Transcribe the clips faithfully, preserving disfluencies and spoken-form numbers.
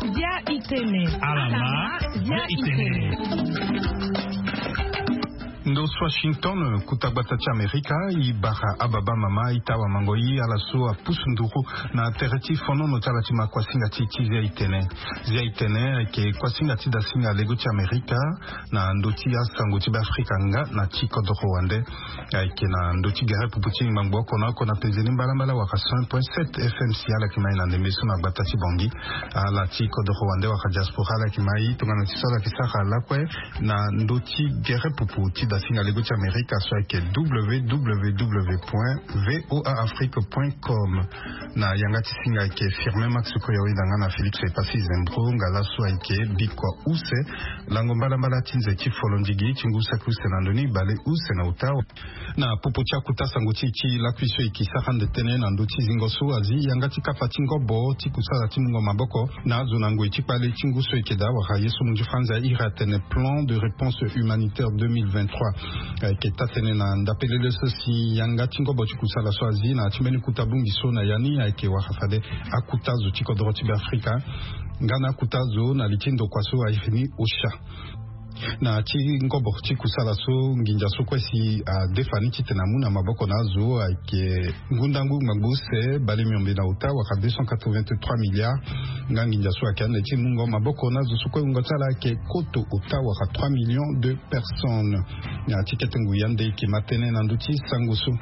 Bia itene. Alama, bia itene. Ndo Washington, kuta gbata ti Amerika, i bara ababa mama, i tawa mango i ala so apusu nduru na tere ti fonono ti ala ti ma kuasinga ti ti zia itene. Zia itene ayeke kuasinga ti dasinga lego ti Amerika na ndö ti asango ti Beafrika nga na ti kodoro wande. Ayeke na ndö ti gere pupu ti ngbangbo oko na oko na pezeni mbalambala waka cent point sept F M si ala yeke mai na ndembe so na gbata ti Bangui. Ala ti kodoro wande waka diaspora ala yeke mai tongana ti so ala yeke sara lakue na ndö ti gere pupu ti dasinga lego ti Amerika so ayeke W W W point V O A Afrique point com. Na yanga ti singa ayeke Firmin Max Koyaweda nga na Félix Epassi Zembro nga laso ayeke bikua use lango mbalambala ti nze ti folondigi ti ngu saki use na ndoni bale use na ota. Na popo ti akuta sango ti e ti lakui so e yeke sara ande tënë na ndö ti zingo so azi yanga ti kapa ti ngobo ti kusala ti mungo maboko na azo na ngoi ti kpale ti ngu so e yeke daa wala ye so munzu franzi airi atene plan de réponse humanitaire deux mille vingt-trois. Ayeke taa-tënë na ndapelele so si yanga ti ngobo ti kusala so azi na ya ti mbeni kuta bongbi so na ya ni ayeke wara fade akuta zo ti kodoro ti Beafrika nga na akuta zo na li ti ndokua so airi ni OCHA. Na ti ngobo ti kusala so nginza so kue si adefa ni titene amu na maboko na azo ayeke ngundangu ngbangbo use bale miombe na ota wala deux cent quatre-vingt-trois milliards. Nga nginza so ayeke ande ti mungo maboko na azo so kue wungo ti ala ayeke koto ota wala trois millions de personnes. Na ya ti kete ngoi ande e yeke ma tënë na ndö ti sango so.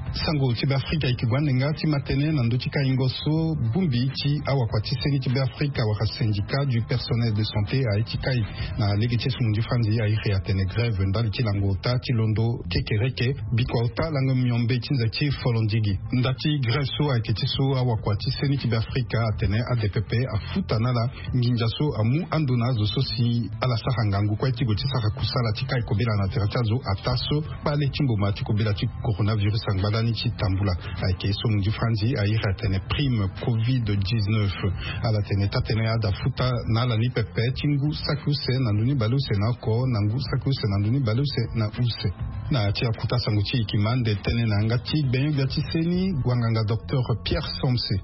Sango ti Beafrika e yeke gue ande nga ti ma tënë na ndö ti kaingo so bongbi ti awakua ti seni ti Beafrika wala syndicat du personnel de santé aye ti kai na lege ti esumu ndi franzi airi atene grève ndali ti lango ota ti londo kekereke bikua ota lango miombe ti nze ti folondigi. Nda ti grève so ayeke ti so awakua ti seni ti Beafrika atene ade pepe afuta na ala nginza so amu ando na azo so si ala sara ngangu kue ti gue ti sara kusala ti kai kobela na tere ti azo ataa so kpale ti mboma ti kobela ti coronavirus angba lani ti tambula. Ayeke so munzu franzi airi atene prime covid dix-neuf. Ala tene taa-tënë ada futa na ala ni pepe ti ngu saki use na ndö ni bale use na oko na ngu saki use na ndö ni bale use na use. Na ya ti akuta sango ti e e yeke ma ande tënë na yanga ti gbenyo-gbia ti seni wanganga docteur Pierre Somse.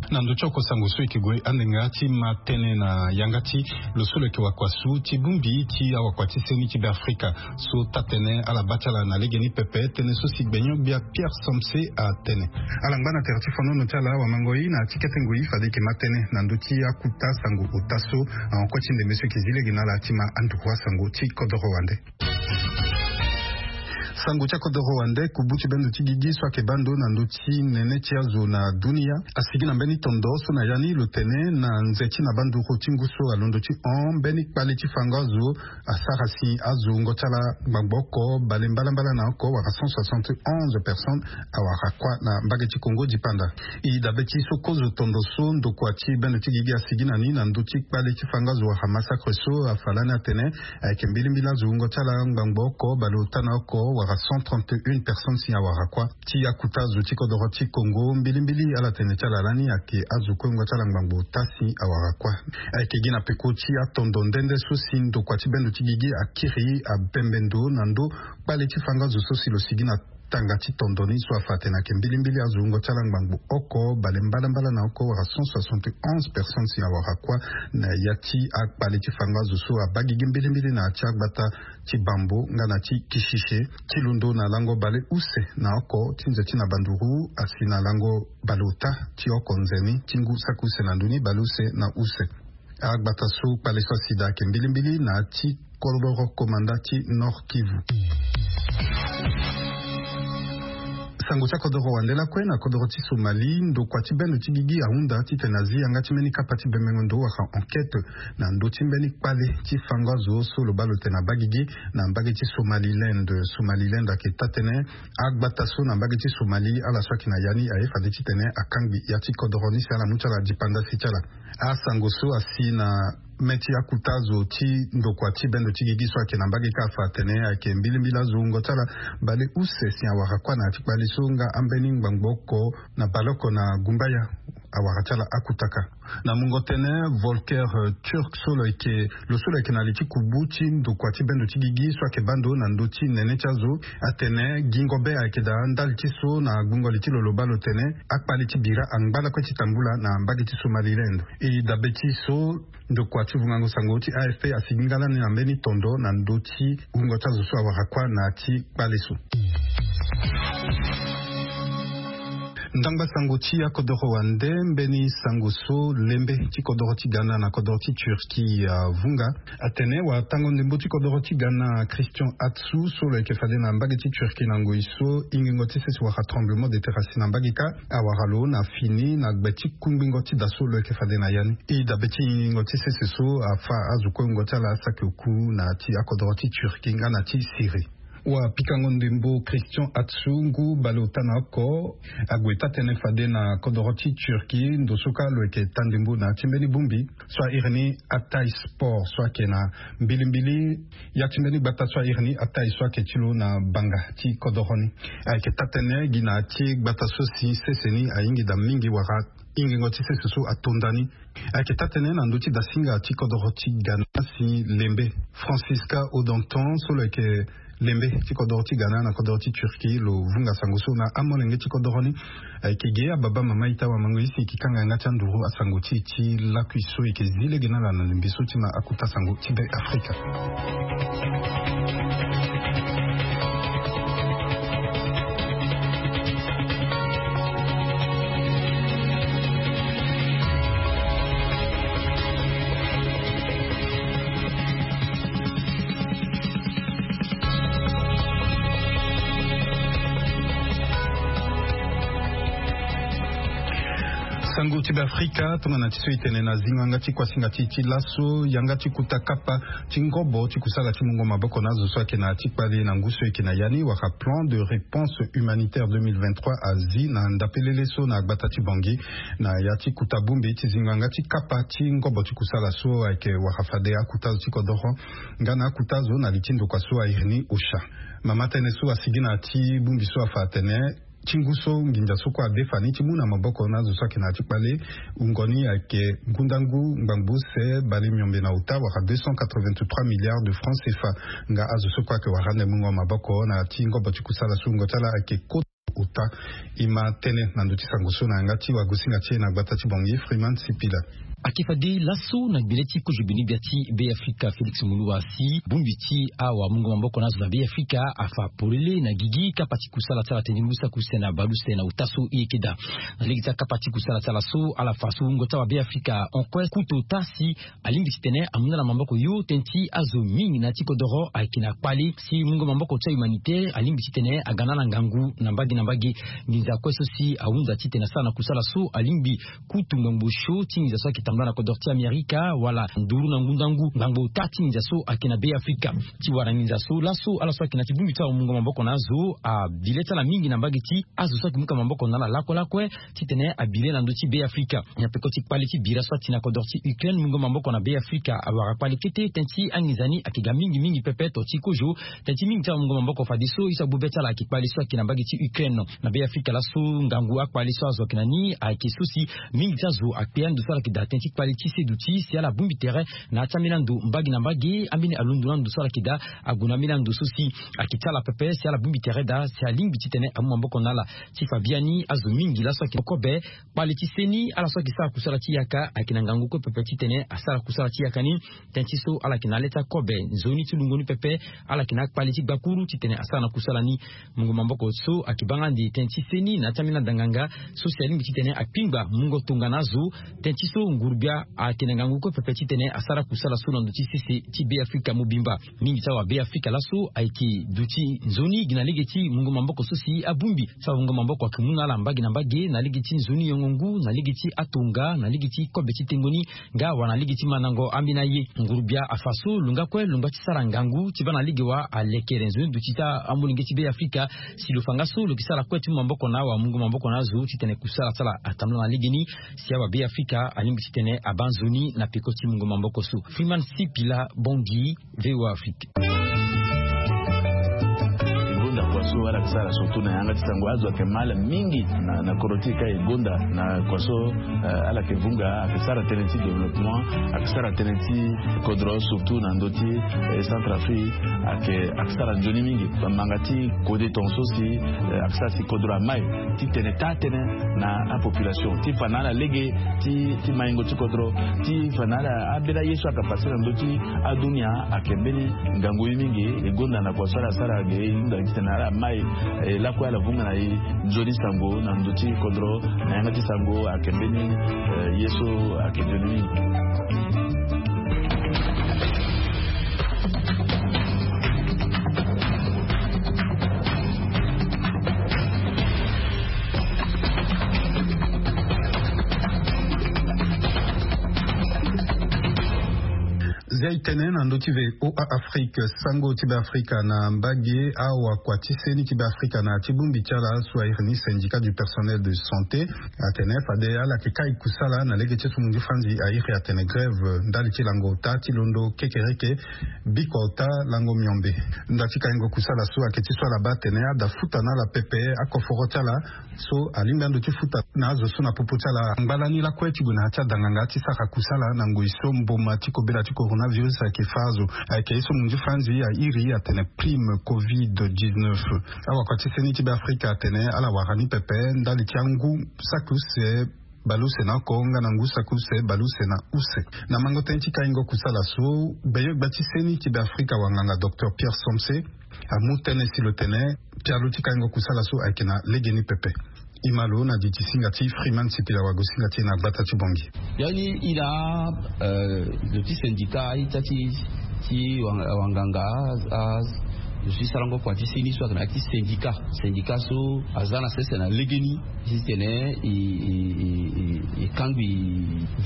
Na ndö ti oko sango so e yeke gue ande nga ti ma tënë na yanga ti lo so lo yeke wakua su ti bongbi ti awakua ti seni ti Beafrika so taa-tënë ala baa ti ala na legeni pepe tënë so si gbenyo-gbia Pierre Somse atene. Ala ngba na tere ti fonono ti ala awamango-i na ya ti kete ngoi fade e yeke ma tënë na ndö ti akuta sango ota so ahon kue ti ndembe so e yeke zi lege na ala ti ma anduru asango ti kodoro wande. Sango ti akodoro wande kubu ti bendo ti gigi so ayeke baa ndo na ndö ti nene ti azo na dunia asigi na mbeni tondo so na ya ni lo tene na nze ti na banduru ti ngu so alondo ti hon mbeni kpale ti fango azo asara si azo wungo ti ala ngbangbo oko bale mbalambala na oko wala cent soixante et onze personnes awara kuâ na mbage ti Congo dipanda. E dabe ti so kozo tondo so ndokua ti bendo ti gigi asigi na ni na ndö ti kpale ti fango azo wala massacre so afa lani atene ayeke mbilimbili azo wungo ti ala ngbangbo oko baleota na oko wala cent trente et une personnes si awara kuâ. Ti akuta azo ti kodoro ti Congo mbilimbili ala tene ti ala lani ayeke azo kue wungo ti ala ngbangbo ota si awara kuâ. Ayeke gi na peko ti atondo nde nde so si ndokua ti bendo ti gigi akiri abembe ndo na ndö kpale ti fango azo so si lo sigi na tanga ti tondo ni so afa atene ayeke mbilimbili azo wungo ti ala ngbangbo oko bale mbalambala na oko wala cent soixante et onze personnes si awara kuâ na ya ti akpale ti fango azo so abaa gigi mbilimbili na ya ti agbata ti Bambo nga na ti Kishishe ti londo na lango bale use na oko ti nze ti na banduru asi na lango baleota ti oko nzeni ti ngu saki use na ndö ni bale use na use. Agbata so kpale so asi daa ayeke mbilimbili na ya ti kodoro komanda ti Nord Kivu. Sango ti akodoro wande lakue na kodoro ti Somalie ndokua ti bendo ti gigi ahunda titene azi yanga ti mbeni kapa ti bembengo ndo wala enquête na ndö ti mbeni kpale ti fango azo so lo baa lo tene abaa gigi na mbage ti Somaliland. Somaliland ayeke taa-tënë agbata so na mbage ti Somalie ala so ayeke na ya ni aye fade titene akangbi ya ti kodoro ni si ala mu ti ala dipanda si ti ala. Asango so asi na mê ti akuta azo ti ndokua ti bendo ti gigi so ayeke na mbage kâ afa atene ayeke mbilimbili azo wungo ti ala baleuse si awara kuâ na ya ti kpale so nga ambeni ngbangbo oko na baleoko na gumbaya. Awara ti ala akutaka na mungo tënë Volker Türk so lo yeke lo so lo yeke na li ti kubu ti ndokua ti bendo ti gigi so ayeke baa ndo na ndö ti nene ti azo atene gingo be ayeke daa ndali ti so na gbungo li ti lo lo baa lo tene akpali ti bira angba lakue ti tambula na mbage ti Somaliland. E dabe ti so ndokua ti vungango sango ti A F P asigi nga lani na mbeni tondo na ndö ti wungo ti azo so awara kuâ na ya ti kpale so. Ndangba sango ti akodoro wande mbeni sango so lembe ti kodoro ti Ghana na kodoro ti Turquie avunga. Atene watango ndembo ti kodoro ti Ghana Christian Atsu so lo yeke fade na mbage ti Turquie na ngoi so ingingo ti sese wala tremblement de terre asi na mbage kâ awara lo na fini na gbe ti kungbingo ti da so lo yeke fade na ya ni. E dabe ti ingingo ti sese so afa azo kue wungo ti ala asaki oku na ya ti akodoro ti Turquie nga na ti Syrie. Wapikango ndembo Christian Atsu ngu baleota na oko ague taa-tënë fade na kodoro ti Turquie ndo so kâ lo yeke taa ndembo na ya ti mbeni bongbi so a iri ni Hatay Spor so ayeke na mbilimbili ya ti mbeni gbata so a iri ni Hatay so ayeke ti lo na banga ti kodoro ni. Ayeke taa-tënë gi na ya ti gbata so si sese ni ahingi daa mingi wala ingingo ti sese so ato nda ni. Ayeke taa-tënë na ndö ti dasinga ti kodoro ti Ghana si lembe Francisca Odantan so lo yeke lembe ti kodoro ti Ghana na kodoro ti Turquie lo vunga sango so na amolenge ti kodoro ni. Ayeke ge ababa mama ita wamango isi ki kanga yanga ti anduru asango ti e ti lakui so e yeke zi lege na ala na lembe so ti ma akuta sango ti Be Afrika. Sango ti Be Afrika tongana ti so e tene na zingo yanga ti kuasinga ti e ti laso yanga ti kuta kapa ti ngobo ti kusala ti mungo maboko na azo so ayeke na ya ti kpale na ngu so e yeke na ya ni wala plan de réponse humanitaire deux mille vingt-trois azi na ndapelele so na gbata ti Bangui na ya ti kuta bongbi ti zingo yanga ti kapa ti ngobo ti kusala so ayeke wara fade akuta azo ti kodoro nga na akuta azo na li ti ndokua so a iri ni OCHA. Mama tënë so asigi na ya ti bongbi so afa atene ti ngu so nginza so kue adefa ni ti mu na maboko na azo so ayeke na ya ti kpale wungo ni ayeke ngundangu ngbangbo use bale miombe na ota wala deux cent quatre-vingt-trois milliards de francs C F A. Nga azo so kue ayeke wara ande mungo maboko na ya ti ngobo ti kusala so wungo ti ala ayeke kota ota. E ma tënë na ndö ti sango so na yanga ti wagosinga ti e na gbata ti Bangui Freeman Sipila. Ayeke fade laso na gbele ti kozo gbeni-gbia ti Beafrika Félix Moloua si bongbi ti awamungo maboko na azo na Beafrika afa polele na gigi kapa ti kusala ti ala tënë ti ngu saki use na bale use na ota so e yeke daa. Na lege ti akapa ti kusala ti ala so ala fa so wungo ti awabeafrika hon kue kuta ota si alingbi titene amu na ala maboko yo tënë ti azo mingi na ya ti kodoro ayeke na kpale si mungo maboko ti ahumanitaire alingbi titene aga na ala ngangu na mbage na mbage. Nginza kue so si ahunza titene asara na kusala so alingbi kutu ngbangbo sio ti nginza so ayeke tambula na kodoro ti Amerika wala nduru na ngundangu ngbangbo ota ti nginza so ayeke na Beafrika. Ti wara nginza so laso ala so ayeke na ya ti bongbi ti awamungo maboko na azo abi le ti ala mingi na mbage ti azo so ayeke mu ka maboko na ala lakue lakue titene abi le na ndö ti Beafrika. Na peko ti kpale ti bira so ati na kodoro ti Ukraine mungo maboko na Beafrika awara kpale kete tënë ti anginza ni ayeke ga mingi mingi pepe to ti kozo. Tënë ti mingi ti awamungo maboko fadeso ye so agbu be ti ala ayeke kpale so ayeke na mbage ti Ukraine. Na Beafrika laso ngangu akpale so azo ayeke na ni ayeke so si mingi ti azo akpe ando so ala yeke daa tënë ti kpale ti seduti si ala bongbi tere na ya ti ambeni ando mbage na mbage ambeni alondo na ando so ala yeke daa ague na ambeni ando so si ayeke ti ala pepe si ala bongbi tere daa si alingbi titene amu maboko na ala. Ti fa biani azo mingi laso ayeke kobe kpale ti seni ala so ayeke sara kusala ti yaka ayeke na ngangu kue pepe titene asara kusala ti yaka ni. Tënë ti so ala yeke na le ti akobe nzoni ti lungo ni pepe ala yeke na akpale ti gbakuru titene asara na kusala ni. Mungo maboko so ayeke baa nga ande tënë ti seni na ya ti ambeni adanganga so si alingbi titene akpingba mungo tongana azo. Tënë ti so ngurugbia ayeke na ngangu kue pepe titene asara kusala so na ndö ti sese ti Beafrika mobimba. Mingi ti awabeafrika laso ayeke duti nzoni gi na lege ti mungo maboko so si abongbi so amungo maboko ayeke mu na ala mbage na mbage na lege ti nzoni yongo ngu na lege ti atonga na lege ti kobe ti tengo ni nga wala na lege ti mandango ambeni aye. Ngurugbia afa so lo nga kue lo ngba ti sara ngangu ti baa na lege wa alekere nzoni duti ti amolenge ti Beafrika si lo fa nga so lo yeke sara kue ti mu maboko na awamungo maboko na azo titene kusala ti ala atambula na legeni si awabeafrika alingbi titene abaa nzoni na peko ti mungo maboko so. Freeman Sipila, Bangui, VOA Afrique. Wala ake sara surtout na yanga ti sango azo ake mal mingi na kodro ti e ka e gonda na kua so. Ala ake vunga ake sara tënë ti développement, ake sara tënë ti kodro surtout na ndö ti Centrafrique. Ake sara nzoni mingi bamanga ti kode tonga so si ake sara si kodro amai ti tene taa tënë na apopulation ti fa na ala lege ti maingo ti kodro ti fa na ala abela ye so aka pase na ndö ti adunia. Ake mbeni ngangu ye mingi e gonda na kua so ala sara ge e hunda titene ala mai lakue ala vunga na e nzoni sango na ndö ti kodro na yanga ti sango ake mbeni ye so ake nzoni mingi. Zia e tene na ndö ti voa afrique sango ti be afrika na mbage awa kua ti seni ti be afrika na ti bongbi ti ala so airi ni syndicat du personnel de santé atene fade ala yeke kai kusala na lege ti so munzi franzi airi atene grève ndali ti lango ota ti londo kekereke bikua ota lango miombe. Nda ti kaingo kusala so ayeke ti so ala baa atene ada futa na ala pepe akoforo ti ala so alingbi ando ti futa na azo so na popo ti ala angba lani lakue ti gue na ya ti adanganga ti sara kusala na ngoi so mboma ti kobela ti coronavirus ayeke fa azo. Ayeke ye so munzi franzi airi atene prime covid dix-neuf. Awakua ti seni ti be afrika atene ala wara ni pepe ndali ti angu saki use baleuse na oko nga na ngu saki use baleuse na use. Na mango tënë ti kaingo kusala so gbenyo-gbia ti seni ti be afrika wanganga docteur pierre somse amu tënë si lo tene pialo ti kaingo kusala so ayeke na legeni pepe. Ima lo na didi singa ti freeman sipila wagosinga ti e na gbata ti bongi. Biani ina zo ti syndicat ita ti ti wanganga zo ti sarango kua ti seni so ayeke na ya ti syndicat syndicat so aza na sese na legeni titene e kangbi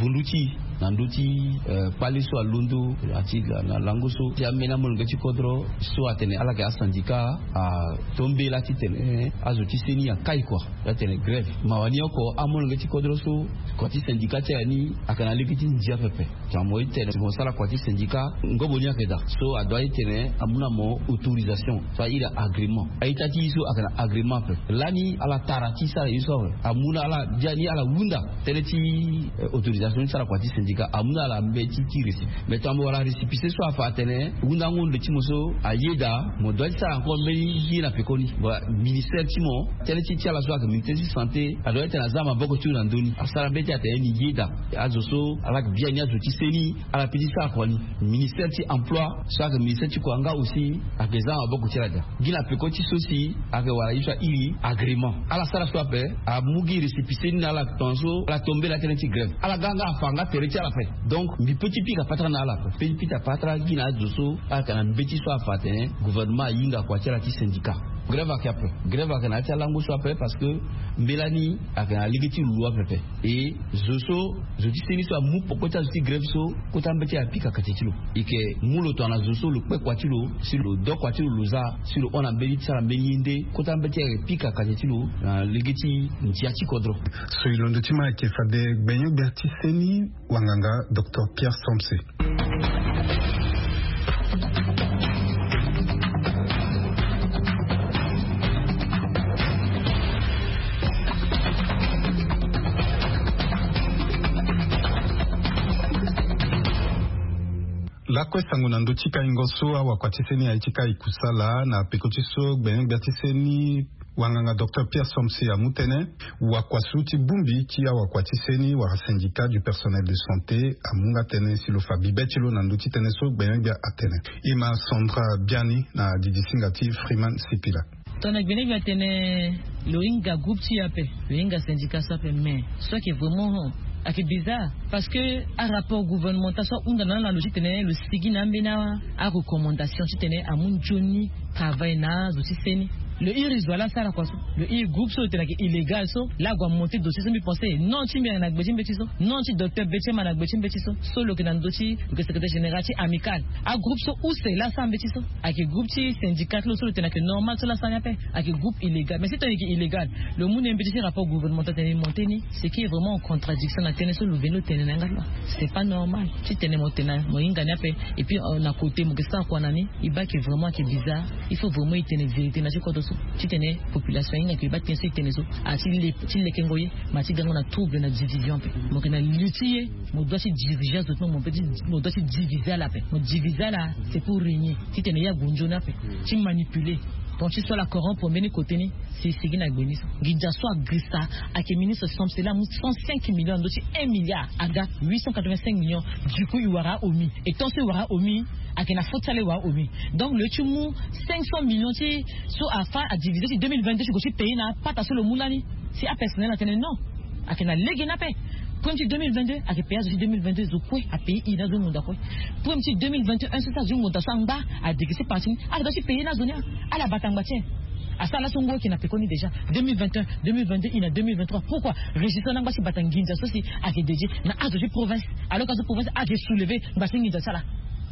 vundu ti na ndö ti kpale so alondo ati na lango so ti ambeni amolenge ti kodro so atene ala yeke asindika atombela titene azo ti seni akai kua. Atene grève mawa ni oko amolenge ti kodro so kua ti sindika ti ala ni ayeke na lege ti ndia pepe. Tongana mo ye ti tene mo sara kua ti syndicat ngobo ni ayeke daa so adua ti tene amu na mo autorisation so airi agrément a-ita ti ye so ayeke na agrément ape. Lani ala tara ti sara ye so awe amu na ala biani ala hunda tënë ti autorisation ti sara kua ti syndicat amu na ala mbeti ti récépissé. Mais tongana mo wara récépissé so afa atene hundango nde ti mo so aye daa mo dua ti sara encore mbeni ye na pekoni. Ministère ti mo tënë ti ti ala so ayeke ministère ti santé adua ti tene aza maboko ti lo na ndö ni asara mbeti atene ni ye daa. Azo so ala yeke biani azo ti seni ala pe ti sara kua ni. Ministère ti emploi so ayeke ministère ti kua nga aussi ayeke za na maboko ti ala daa. Gi na peko ti so si ayeke wara ye so airi agrément ala sara so ape amu gi récépissé ni na ala tongaso ala tombela tënë ti grève ala ga nga afa nga tere ti ala ape. Donc mbi pe ti pika patara na ala ape pe ti pika patara gi na azo so ala yeke na mbeti so afa atene gouvernement ahinga kua ti ala ti syndicat. Grève ayeke ape. Grève ayeke na ya ti alango so ape parce que mbela ni ayeke na lege ti lo ape ape. E zo so zo ti seni so amu poko ti azo ti grève so kota mbeti apika kate ti lo. E yeke mu lo tongana zo so lo kpe kua ti lo si lo do kua ti lo lo za si lo hon na mbeni ti sara mbeni ye nde kota mbeti ayeke pika kate ti lo na lege ti ndia ti kodro. So e londo ti ma ayeke fade gbenyo-gbia ti seni wanganga docteur pierre somse. Lakue sango na ndö ti kaingo so awakua ti seni aye ti kai kusala na peko ti so gbenyo-gbia ti seni wanganga docteur pierre somse amu tënë. Wakua so ti bongbi ti awakua ti seni wala syndicat du personnel de santé amu nga tënë si lo fa bibe ti lo na ndö ti tënë so gbenyo-gbia atene. Ima sandra biani na didi singa ti freeman sipila. Tongana gbenyo-gbia atene lo hinga groupe ti e ape lo hinga syndicat so ape mais so ayeke vraiment hon ayeke bizarre. Parce que arapport gouvernemental so ahunda na ala na lo titene lo sigi na ambeni arecommandation titene amu nzoni travail na azo ti seni. Lo iri zo ala asara kua so lo iri groupe so lo tene ayeke illégal so la ague amonte dossier so mbi pense non ti mbi ayeke na gbe ti mbeti so non ti docteur betiema na gbe ti mbeti so so lo yeke na ndö ti lo yeke secrétaire général ti amical. Agroupe so use la asara mbeti so ayeke groupe ti syndicat ti lo so lo tene ayeke normal so la asara ni ape. Ayeke groupe illégal mais si tene ayeke illégal lo mu na e mbeti ti rapport gouvernemental tene e monte ni ce qui est vraiment en contradiction na tënë so lo veni lo tene na yanga ti lo. C'est pas normal titene mo tene mo hinga ni ape. Et puis na côté mo yeke sara kua na ni e baa ayeke vraiment ayeke bizarre. Il faut vraiment e tene vérité na ti kodro so. Titene population ahinga ke baa tënë so e tene so, a ti le ti lekengo ye, ma ti gango na trouble na division ape. Mo yeke na li ti ye, mo doit ti diriger azo ti mo, mo doit ti diviser ala ape. Mo diviser ala, c'est pour régner. Titene ye ague nzoni ape ti manipuler. Donc ti so ala corrompre mbeni côté ni. Si e sigi na gbe ni so, nginza so agrisa, ayeke ministre Samsela amu cent cinq millions na ndö ti un milliard, aga huit cent quatre-vingt-cinq millions. Du coup e wara aomi. Et tant so e wara aomi, ayeke na faute ti ala e wara aomi. Donc lo ye ti mu cinq cents millions ti so afa adiviser ti deux mille vingt-deux ti gue ti payer na apata so lo mu lani. Si apersonnel atene non, ayeke na lege ni ape. Premier ti deux mille vingt-deux ayeke payer azo ti deux mille vingt-deux, zo kue apayer i na azo ngonda kue. Premier ti deux mille vingt et un so ti azo ti ngonda so angba adegese parti ni, ala doit ti payer na azo ni. Ala bata ngba ti e. Asara laso ngu ayeke na pekoni déjà. Deux mille vingt et un, deux mille vingt-deux, i na deux mille vingt-trois. Pourquoi? Régisseur na ngba ti bata nginza so si ayeke dédier na azo ti province. Alors que azo province ayeke soulever ngba ti nginza ti ala.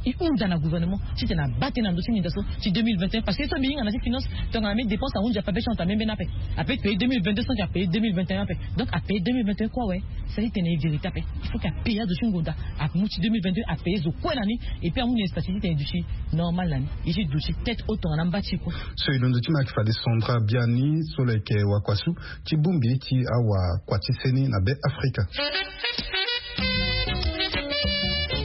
E hunda na gouvernement titene abaa tënë na ndö ti nginza so ti deux mille vingt et un, parce que ye so mbi hinga na ti finance, tongana mbi dépense ahunzi ape, abe ti hon ta mbeni mbeni ape. Ape payer deux mille vingt-deux sans que apayer deux mille vingt et un ape. Donc apayer deux mille vingt et un kue awe. Sara titene e vérité ape. Il faut que apayer azo ti ngonda. Amu ti deux mille vingt-deux apayer zo kue na ni. Et puis amu ni statut titene e duti normal na ni. E ti duti tête haute tongana mba ti e kue. So e londo ti ma ayeke fade Sandra Biani so lo yeke wakua so ti bongbi ti awakua ti seni na Be Afrika.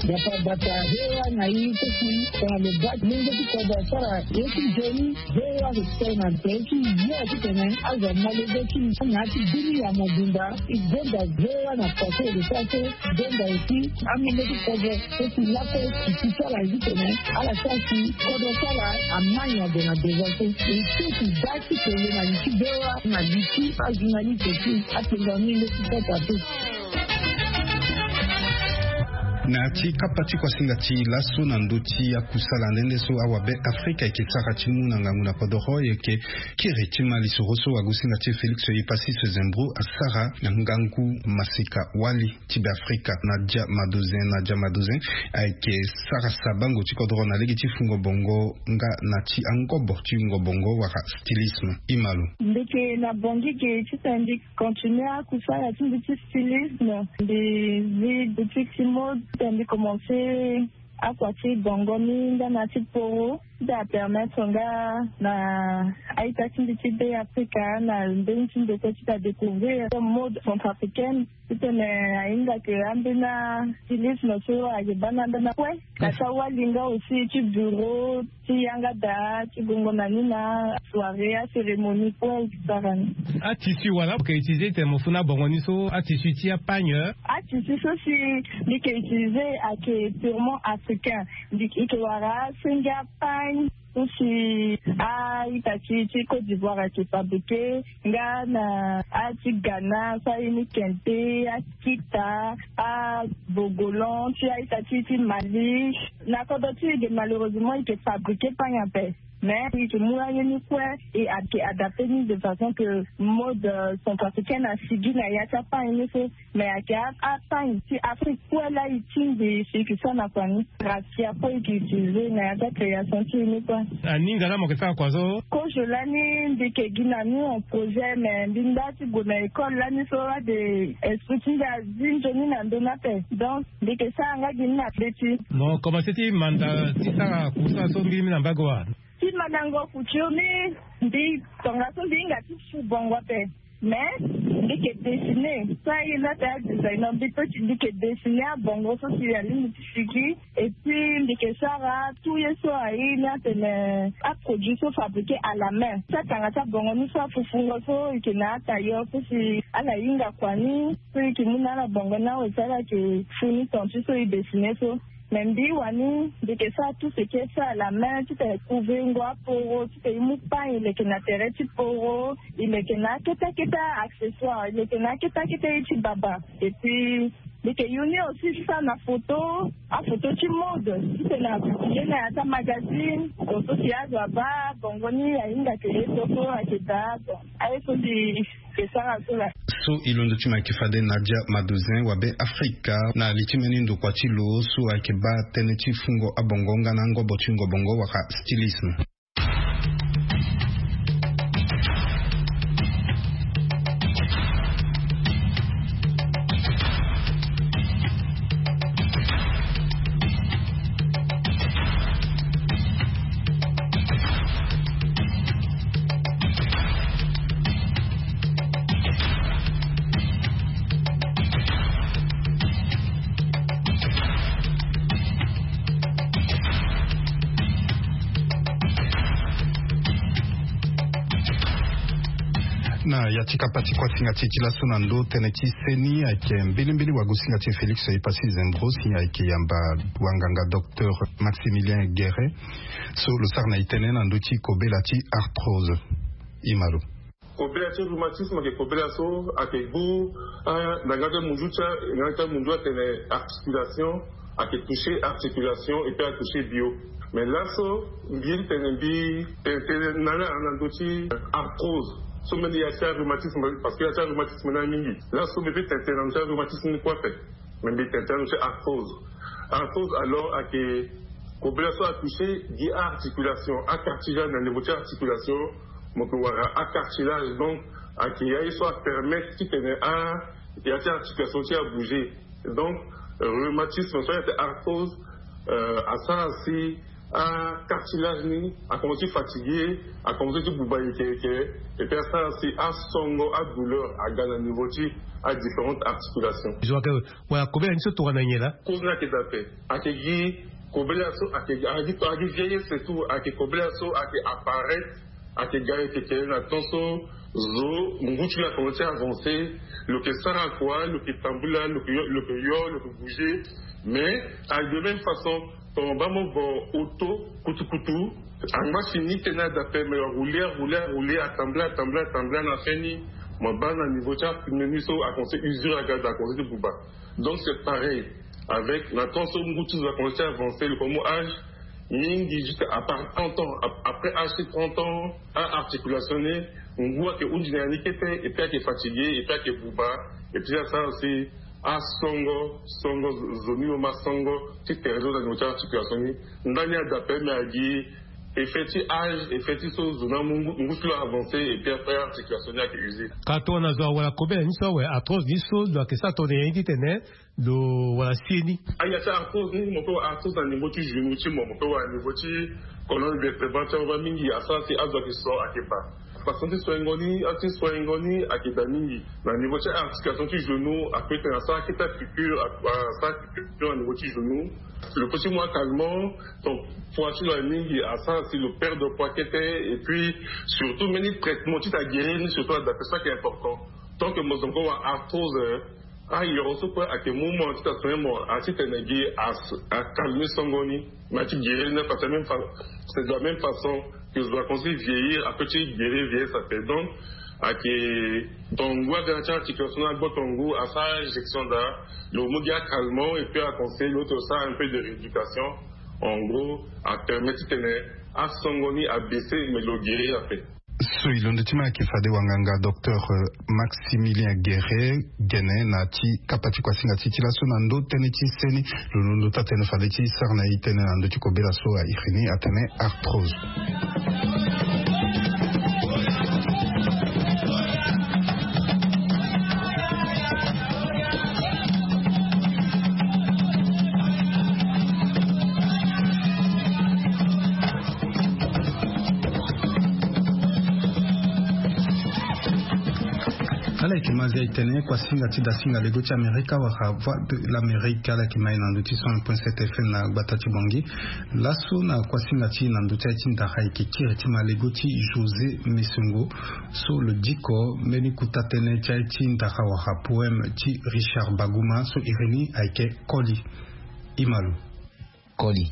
Bata bata V O A na i keti tongana lo baa ti mungo ti kodro asara ye ti nzoni. V O A ayeke tene na tere ti yo titene azo amolenge ti na ya ti bini ya mobimba. E gonda V O A na pase lo sara so. Gonda aussi amungo ti kodro so si lakue si ti sara titene ala sara si kodro ti ala amai na gue na devant so. E so si baa ti kele na li ti V O A na li ti ajournaliste ti apenga ni nde ti kota te. Na ya ti kapa ti kuasinga ti laso na ndö ti akusala nde nde so awabe Afrika ayeke sara ti mu na ngangu na kodoro, e yeke kiri ti ma lisoro so agusinga ti e Félix Epassis Zembrou asara na ngangu masika wali ti Be Afrika. Nadia Madozin, Nadia Madozin ayeke sara sabango ti kodoro na lege ti fungo bongo nga na ti angobo ti wungo bongo wala stylisme. E ma lo. Mbi yeke na Bangui ge titene mbi continue akusala ti mbi ti stylisme. Mbi zi boutique ti mode titene mbi commence akua ti bongo ni nga na ti poro. Ti apermettre nga na a-ita ti mbi ti Be Afrika na mbeni ti ndokua ti ta découvrir mode centrafricaine. Titene ahinga ke ambeni astylisme so ayeke baa na ndana kue. Na ti awali nga aussi ti bureau ti yanga daa ti gongo na ni na soirée, acérémonie kue e sara ni. Atissu wala mo yeke utiliser titene mo fo na bongo ni so, atissu ti apagne? Atissu so si mbi yeke utiliser ayeke purement africain. Mbi yeke wara asenge apagne so si a-ita ti ti Côte d'Ivoire ayeke fabriquer nga na a ti Ghana so aye ni kente, akita, abogolan ti a-ita ti ti Mali. Na kodro ti e ge malheureusement e yeke fabriquer pagne ape. Mais e yeke mu aye ni kue e ayeke adapter ni de façon que mode centrafricaine asigi na ya ti apagne ni so. Mais ayeke apagne ti Afrique kue laa e tingbi si e yeke sara na kua ni. Raffia kue e yeke utiliser na ya ti acréation ti e ni kue. Aninga laa mo yeke sara kua so? Kozo lani mbi yeke gi na ni en projet, mais mbi nda ti gue na école lani so ade esprit ti mbi azi nzoni na ndö ni ape. Donc mbi yeke sara nga gi ni na be ti. Mo commencer ti manda ti sara kusa so mbi mi na mbage wa? Ti mandango couture ni, mbi tongaso mbi hinga ti su bongo ape. Mais mbi yeke dessiner so aye laa ta designer, mbi peut ti mbi yeke dessiner abongo so si alingbi ti sigi. Et puis mbi yeke sara tout ye so aye ni atene aproduit so fabriquer à la main. Ti atanga ti abongo ni so afufungo so e yeke na atailleur so si ala hinga kua ni so e yeke mu na ala bongo ni awe si ala yeke fu ni ton ti so e dessiner so. Mais mbi wani mbi yeke sara tout ce qui est fait à la main titene e couvrir ngo aporo, titene e mu pagne e leke na tere ti poro, e leke na akete akete accessoire, e leke na akete akete ye ti baba. Et puis mbi yeke yu ni aussi ti sara na photo, aphoto ti mode titene a publier na ya ti amagazine. Donc so si azo abaa bongo ni ahinga ke ye so so ayeke daa. Bon, aye so mbi yeke sara so laa. So e londo ti mo ayeke fade Nadia Madozin wa Be Afrika na li ti mbeni ndokua ti lo so ayeke baa tënë ti fungo abongo nga na angobo ti wungo bongo wala stylisme. Ah, ya ti kapa ti kuasinga ti e ti laso na ndo tënë ti seni ayeke mbilimbili wagosinga ti e Félix Epassi Zembros, si ayeke yamba wanganga docteur Maximilien Guéret, so lo sara na e tënë na ndö ti kobela ti arthrose. Imalo. Kobela ti rhumatisme ayeke kobela so ayeke gbu, ah, na nganga ti munzu ti, nganga ti munzu atene articulation, ayeke toucher articulation et puis atoucher bio. Mais laso mbi ye ti tene mbi tene tënë na ala na ndö ti arthrose. So mbeni ya ti arhumatisme, parce que ya ti arhumatisme ni amingi. Laso mbi peut tene tënë na ndö ti arhumatisme ni kue ape. Mais mbi tene tënë na ndö ti arthrose. Arthrose alors ayeke kobela so atoucher gi articulation, acartilage na niveau ti articulation. Mo yeke wara acartilage, donc ayeke ya ye so apermettre ti tene a ya ti articulation ti abouger. Donc rhumatisme so ayeke arthrose, euh, asara si acartilage ni akomense ti fatigué, akomense ti buba yeke yeke. Et puis asara si asongo adouleur aga na niveau ti adifférentes articulations. Zo ayeke wala kobela ni so tongana nyen laa? Cause ni ayeke daa ape. Ayeke gi kobela so ayeke gi, ayeke gi vieillesse et tout, ayeke kobela so ayeke apparaître, ayeke ga yeke yeke na temps so zo ngu ti lo akomense ti avancer. Lo yeke sara kua, lo yeke tambula, lo yeke yo, lo yeke yo, lo yeke bouger. Mais ayeke de même façon, ton baa mo vo auto kutukutu, angba fini tënë daa ape, mais arouler, arouler, arouler, atambula, atambula, atambula, na fin ni mo baa na niveau ti apneu ni so akomense usure aga daa, akomense ti buba. Donc c'est pareil avec na temps so ngu ti zo akomense ti avancer, lo komo âge mingi, jusqu'à à part trente ans, ap-, après âge ti trente ans, a articulation ni ngu ayeke hunzi na ya ni kete, et puis ayeke fatigué, et puis ayeke buba, et puis asara si asongo, songo zo, zo ni lo ma songo ti tere lo na niveau ti articulation ni. Ndani ada ape, mais agi effet ti âge, effet ti so zo ni amu ngu, ngu ti lo avancé, et puis après articulation ni ayeke usé. Ka tongana zo awara kobela ni so awe, arthrose ni so lo yeke sara tongana nyen ti tene lo wara si ye ni? Aya ti arthrose ni, mo peut wara arthrose na niveau ti genou ti mo, mo peut wara na niveau ti colonne vertébrale ti awe. Mingi asara si azo ayeke so ayeke baa. Façon ti soingo ni, a ti soingo ni ayeke daa mingi. Na niveau ti articulation ti genou, apeut tene asara akete piqûre, a-, asara piqûre na niveau ti genou. Lo peut ti mu acalmant, donc poids ti lo aye mingi, asara si lo perdre poids kete, et puis surtout mbeni traitement ti ta guérir ni, surtout adaptation ayeke important. Tant que mo zo mo wara arthrose, eh, ayoro so kue ayeke mu mo ti ta soigner mo, a ti tene gi as-, acalmer songo ni. Mais a ti guérir ni, parce que même fa-, c'est de la même façon que zo akomense ti vieillir, apeut ti guérir vieillesse ape. Donc ayeke tongo aga na ti articulation ni agboto ngu, asara injection daa, lo mu gi acalmant, et puis aconseiller lo ti lo sara un peu de rééducation. En gros, apermet ti tene asongo ni abaisser, mais lo guérir ape. So e londo ti ma ayeke fade wanganga docteur, euh, Maximilien Guéret, gene na ti kapa ti kuasinga ti e ti laso na ndo tënë ti seni. Lo londo taa tënë fade ti sara na e tënë na ndö ti kobela so a iri ni atene arthrose. Ala yeke ma zia e tene kuasinga ti dasinga lego ti Amerika wala Voix de l'Amérique, ala yeke ma e na ndö ti cent un point sept F M na gbata ti Bangui. Laso na kuasinga ti e na ndö ti aye ti ndara, e yeke kiri ti ma lego ti José Mesongo, so lo diko mbeni kuta tënë ti aye ti ndara wala poème ti Richard Baguma, so iri ni ayeke Koli. Imalo. Koli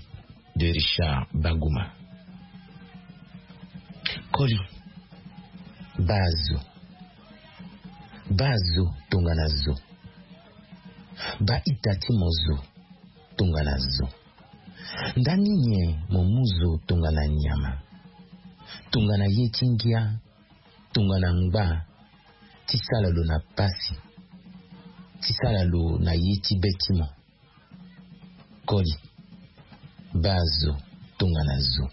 de Richard Baguma. Koli. Baa zo. Baa zo tongana zo. Baa ita ti mo zo tongana zo. Ndani nyen mo mu zo tongana nyama, tongana ye ti ngia, tongana ngba, ti sala lo na pasi, ti sala lo na ye ti be ti mo? Koli. Baa zo tongana zo.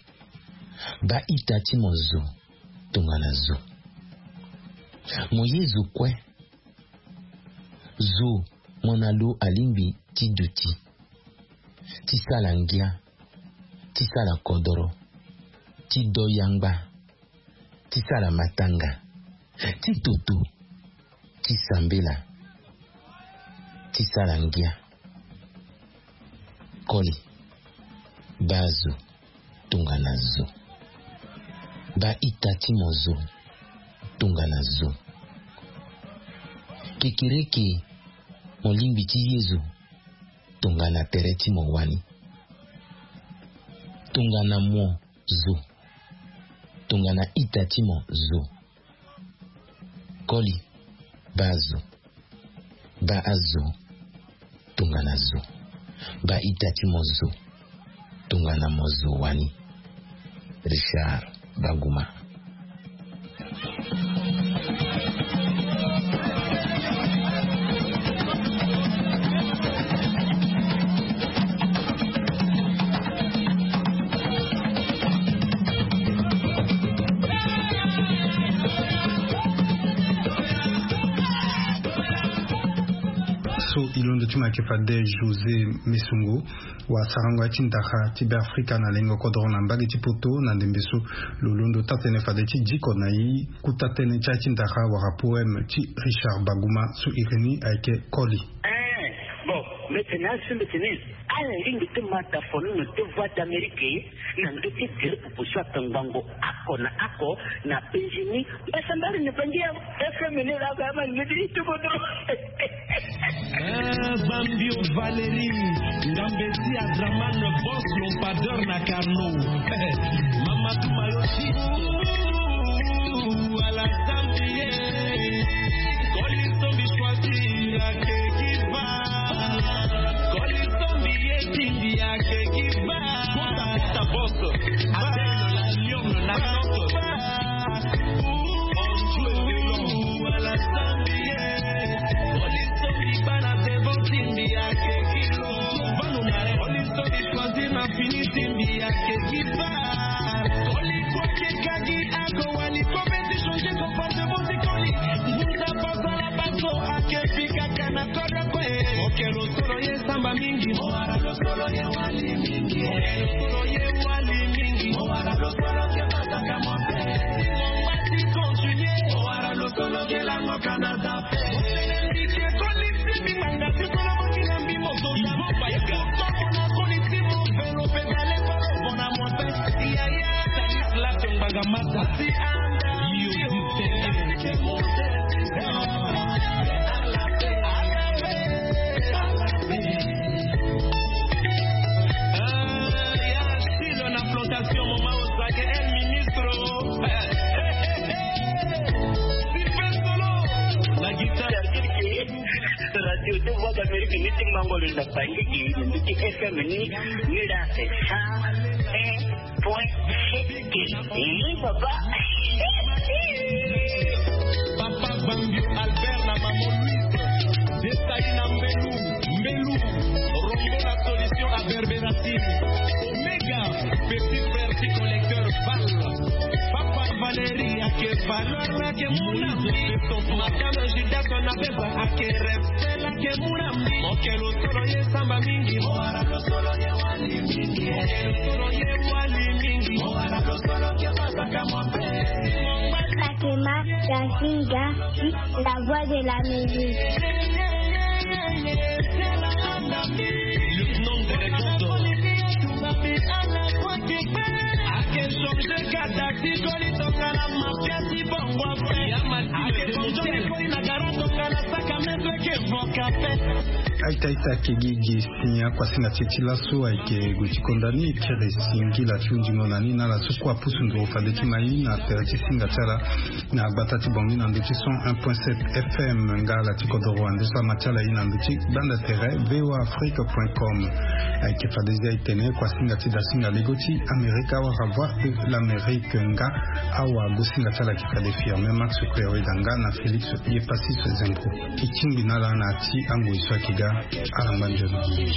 Baa ita ti mo zo tongana zo. Mo ye zo kue. Zo mo na lo alingbi ti duti, ti sala ngia, ti sala kodoro, ti do yangba, ti sala matanga, ti toto, ti sambela, ti sala ngia. Koli. Baa zo tongana zo. Baa ita ti mo zo tongana zo. Kekereke, mo lingbi ti Yezu tongana tere ti mo wani. Tongana mo zo, tongana ita ti mo zo. Koli, baa zo, baa azo, tongana zo, baa ita ti mo zo, tongana mo zo wani. Richard Baguma. So e londo ti mo ayeke fade José Mesongo. Wasarango ya ti ndara ti Beafrika na lengo kodoro na mbage ti poto na ndembe so. Lo londo taa-tënë fade ti diko na e kuta tënë ti aye ti ndara wala poème ti Richard Baguma so iri ni ayeke Koli. Eh, bon, mbi tene azo mbi tene ala lingbi ti ma dafono na deux voix d'Amérique na ndö ti gere pupu so atongbango oko na oko na Benjini. Mbasambari na bangi ya F M ni la ba ma ni di tuko do. Eh, Bambio Valérie, Ngambezi Adraman, boss lampadaire na Carnot. Mama Tumayoshi. Ouh, ala Zambie. Koli sombi choisir ake giva. Koli sombi ye tindi ake giva. Kota, kota, boss. Avec le lion, le naissance. Solo ye samba mingi, mo wara lo solo ye wali mingi. Mo wara lo solo ye wali mingi, mo wara lo solo ke bataka mo pe. Mo wati continuer, mo wara lo solo ke lango kana za pe. Mo sene mbi ke koli si mbi nanga ti solo mo kina mbi mo zonza. Mo baika. Mo mona koli si mo velo pedale palo bona mo pe. Iya, iya. Stanislas Ngbanga Mata. Yo, yo. Radio deux voix d'Amérique ni ti mango lo na bangi gi ni ti F M ni, ni la c'est cent un point sept. Oui, papa. Papa Bambio Albert na maman Louise. Detail na Mbelu, Mbelu. Rombo la solution à Berberative. Omega, petit frère ti collecteur Val. Papa Valérie, ake valeur, ake mon ami. Madame Judas, on appelle ça, ake respect, ake mon ami. Mo ke lo solo ye samba mingi. Mo wara lo solo ye wali mingi. Mo ke lo solo ye wali mingi. Mo wara lo solo ke basaka mo pe. Fatima Gasinga, la voix de la musique. Le nom de réponse. Ake changer kata ti koli tongana mafia ti bongo. Ake bongo ti koli na gara tongana saka metre ke voka pe. Aita, aita, kegi gi sinya kuasinga ti e ti laso ayeke gue ti konda ni, e kiri singila ti hundingo na ni na ala so kue apusu nduru fade ti ma e na tere ti singa ti ala na gbata ti Bangui na ndö ti cent un point sept F M. Nga ala ti kodoro ande so ama ti ala e na ndö ti gbanda tere V O A Afrique point com. Ayeke fade zia e tene kuasinga ti dasinga lego ti Amerika wala Voix de l'Amérique nga awa gosinga ti ala ayeke fade Firmin Max Kuereda nga na Félix Yepassis Zengo. E tingbi na ala na ya ti angoi so ayeke ga. Ala ngba nzoni.